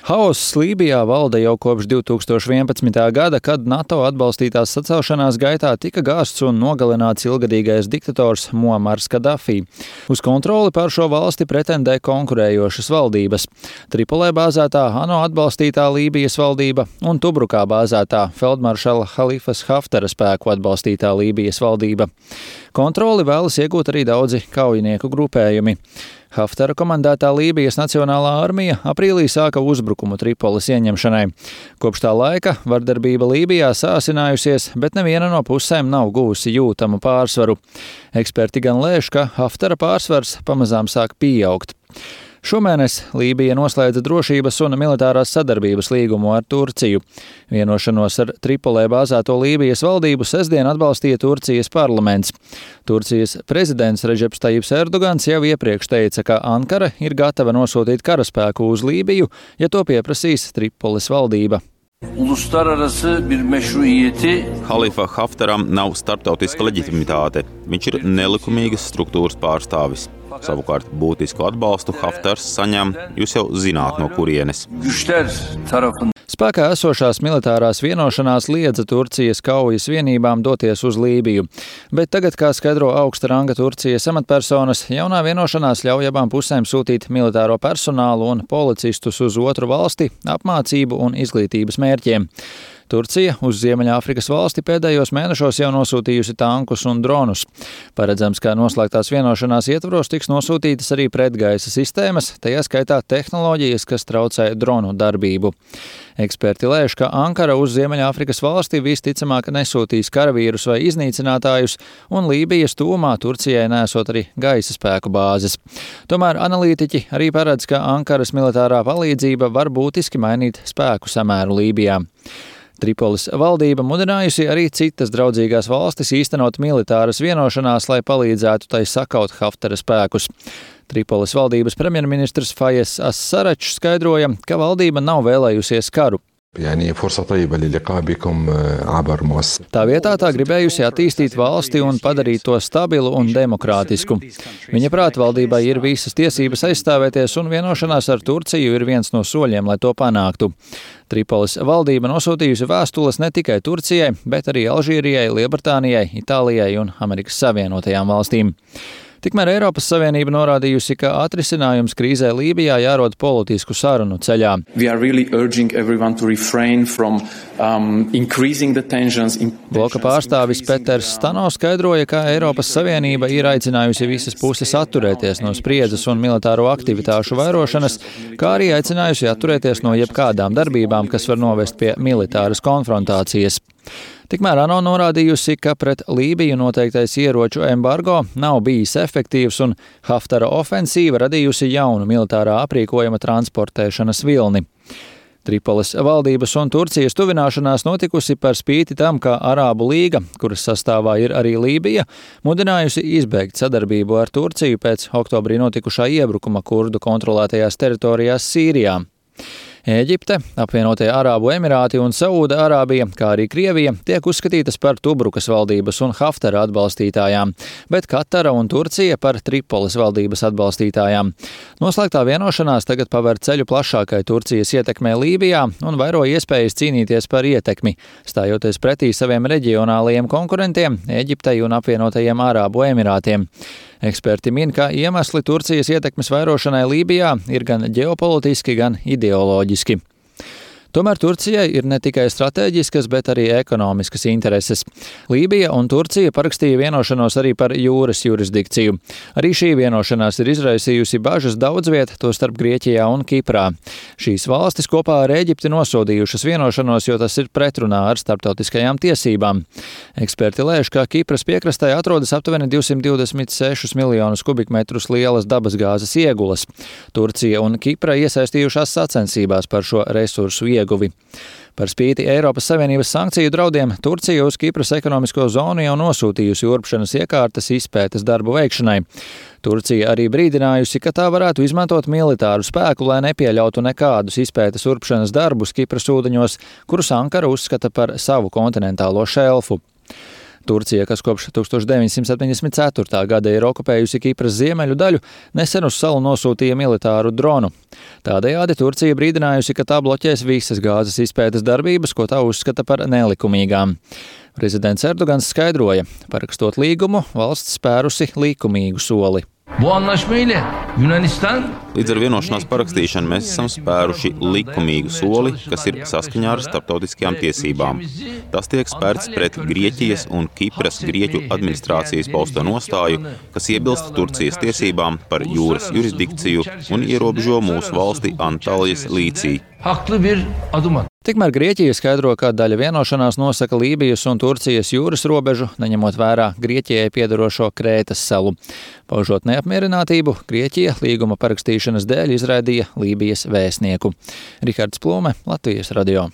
Haoss Lībijā valda jau kopš 2011. gada, kad NATO atbalstītās sacelšanās gaitā tika gāsts un nogalināts ilgadīgais diktators Muamars Kadafī. Uz kontroli pār šo valsti pretendē konkurējošas valdības - Tripolē bāzētā ANO atbalstītā Lībijas valdība un Tubrukā bāzētā feldmaršala Halifas Haftara spēku atbalstītā Lībijas valdība. Kontroli vēlas iegūt arī daudzi kaujinieku grupējumi. Haftara komandētā Lībijas Nacionālā armija aprīlī sāka uzbrukumu Tripoles ieņemšanai. Kopš tā laika vardarbība Lībijā sāsinājusies, bet neviena no pusēm nav guvusi jūtamu pārsvaru. Eksperti gan lēš, ka Haftara pārsvars pamazām sāk pieaugt. Šomēnes Lībija noslēdza drošības un militārās sadarbības līgumu ar Turciju. Vienošanos ar Tripolē bāzēto Lībijas valdību sestdien atbalstīja Turcijas parlaments. Turcijas prezidents Redžeps Tajips Erdogans jau iepriekš teica, ka Ankara ir gatava nosūtīt karaspēku uz Lībiju, ja to pieprasīs Tripoles valdība. Halifa Haftaram nav starptautiska leģitimitāte. Viņš ir nelikumīgas struktūras pārstāvis. Savukārt būtisku atbalstu Haftars saņem, jūs jau zināt, no kurienes. Spēkā esošās militārās vienošanās liedza Turcijas kaujas vienībām doties uz Lībiju, bet tagad, kā skaidro augsta ranga Turcijas amatpersonas, jaunā vienošanās ļauj abām pusēm sūtīt militāro personālu un policistus uz otru valsti apmācību un izglītības mērķiem. Turcija uz Ziemeļāfrikas valsti pēdējos mēnešos jau nosūtījusi tankus un dronus. Paredzams, ka noslēgtās vienošanās ietvaros tiks nosūtītas arī pretgaisa sistēmas, tajā skaitā tehnoloģijas, kas traucē dronu darbību. Eksperti lēš, ka Ankara uz Ziemeļāfrikas valsti visticamāk nesūtīs karavīrus vai iznīcinātājus, un Lībijas tūmā Turcijai nesot arī gaisa spēku bāzes. Tomēr analītiķi arī paredz, ka Ankaras militārā palīdzība var būtiski mainīt spēku samēru Lībijā. Tripoles valdība mudinājusi arī citas draudzīgās valstis īstenot militāras vienošanās, lai palīdzētu tai sakaut Haftara spēkus. Tripoles valdības premjerministrs Fayez As-Sarrač skaidroja, ka valdība nav vēlējusies karu. Tā vietā tā gribējusi attīstīt valsti un padarīt to stabilu un demokrātisku. Viņa prāt valdībai ir visas tiesības aizstāvēties, un vienošanās ar Turciju ir viens no soļiem, lai to panāktu. Tripoles valdība nosūtījusi vēstules ne tikai Turcijai, bet arī Alžīrijai, Lielbritānijai, Itālijai un Amerikas Savienotajām valstīm. Tikmēr Eiropas Savienība norādījusi, ka atrisinājums krīzē Lībijā jārod politisku sarunu ceļā. Bloka pārstāvis Peters Stano skaidroja, ka Eiropas Savienība ir aicinājusi visas puses atturēties no spriedzes un militāro aktivitāšu vairošanas, kā arī aicinājusi atturēties no jebkādām darbībām, kas var novest pie militāras konfrontācijas. Tikmēr ANO norādījusi, ka pret Lībiju noteiktais ieroču embargo nav bijis efektīvs un Haftara ofensīva radījusi jaunu militārā aprīkojuma transportēšanas vilni. Tripoles valdības un Turcijas tuvināšanās notikusi par spīti tam, ka Arābu līga, kuras sastāvā ir arī Lībija, mudinājusi izbeigt sadarbību ar Turciju pēc oktobrī notikušā iebrukuma kurdu kontrolētajās teritorijās Sīrijā. Ēģipte, apvienotie Arābu Emirāti un Saūda Arābija, kā arī Krievija, tiek uzskatītas par Tubrukas valdības un Haftara atbalstītājām, bet Katara un Turcija par Tripoles valdības atbalstītājām. Noslēgtā vienošanās tagad paver ceļu plašākai Turcijas ietekmē Lībijā un vairo iespējas cīnīties par ietekmi, stājoties pretī saviem reģionālajiem konkurentiem Ēģiptei un apvienotajiem Arābu Emirātiem. Eksperti min, ka iemesli Turcijas ietekmes vairošanai Lībijā ir gan ģeopolitiski, gan ideoloģiski. Tomēr Turcijai ir ne tikai stratēģiskas, bet arī ekonomiskas intereses. Lībija un Turcija parakstīja vienošanos arī par jūras jurisdikciju. Arī šī vienošanās ir izraisījusi bažas daudz viet, tostarp Grieķijā un Kiprā. Šīs valstis kopā ar Ēģipti nosodījušas vienošanos, jo tas ir pretrunā ar starptautiskajām tiesībām. Eksperti lēš, ka Kipras piekrastē atrodas aptuveni 226 miljonus kubikmetrus lielas dabasgāzes iegulas. Turcija un Kipra iesaistījušās sacensībās par šo resursu ieguvi. Par spīti Eiropas Savienības sankciju draudiem Turcija uz Kipras ekonomisko zonu jau nosūtījusi urpšanas iekārtas izpētes darbu veikšanai. Turcija arī brīdinājusi, ka tā varētu izmantot militāru spēku, lai nepieļautu nekādus izpētes urpšanas darbus Kipras ūdeņos, kurus Ankara uzskata par savu kontinentālo šelfu. Turcija, kas kopš 1974. gada ir okupējusi Kipras ziemeļu daļu, nesen uz salu nosūtīja militāru dronu. Tādējādi Turcija brīdinājusi, ka tā bloķēs visas gāzes izpētes darbības, ko tā uzskata par nelikumīgām. Prezidents Erdogans skaidroja, parakstot līgumu, valsts spērusi likumīgu soli. Līdz ar vienošanās parakstīšanu mēs esam spēruši likumīgu soli, kas ir saskaņā ar starptautiskajām tiesībām. Tas tiek spērts pret Grieķijas un Kipras Grieķu administrācijas pausto nostāju, kas iebilst Turcijas tiesībām par jūras jurisdikciju un ierobežo mūsu valsti Antalijas līcī. Tikmēr Grieķija skaidro, ka daļa vienošanās nosaka Lībijas un Turcijas jūras robežu, neņemot vērā Grieķijai piederošo Krētas salu. Paužot neapmierinātību, Grieķija līguma parakstīšanas dēļ izraidīja Lībijas vēstnieku. Rihards Plūme, Latvijas radio.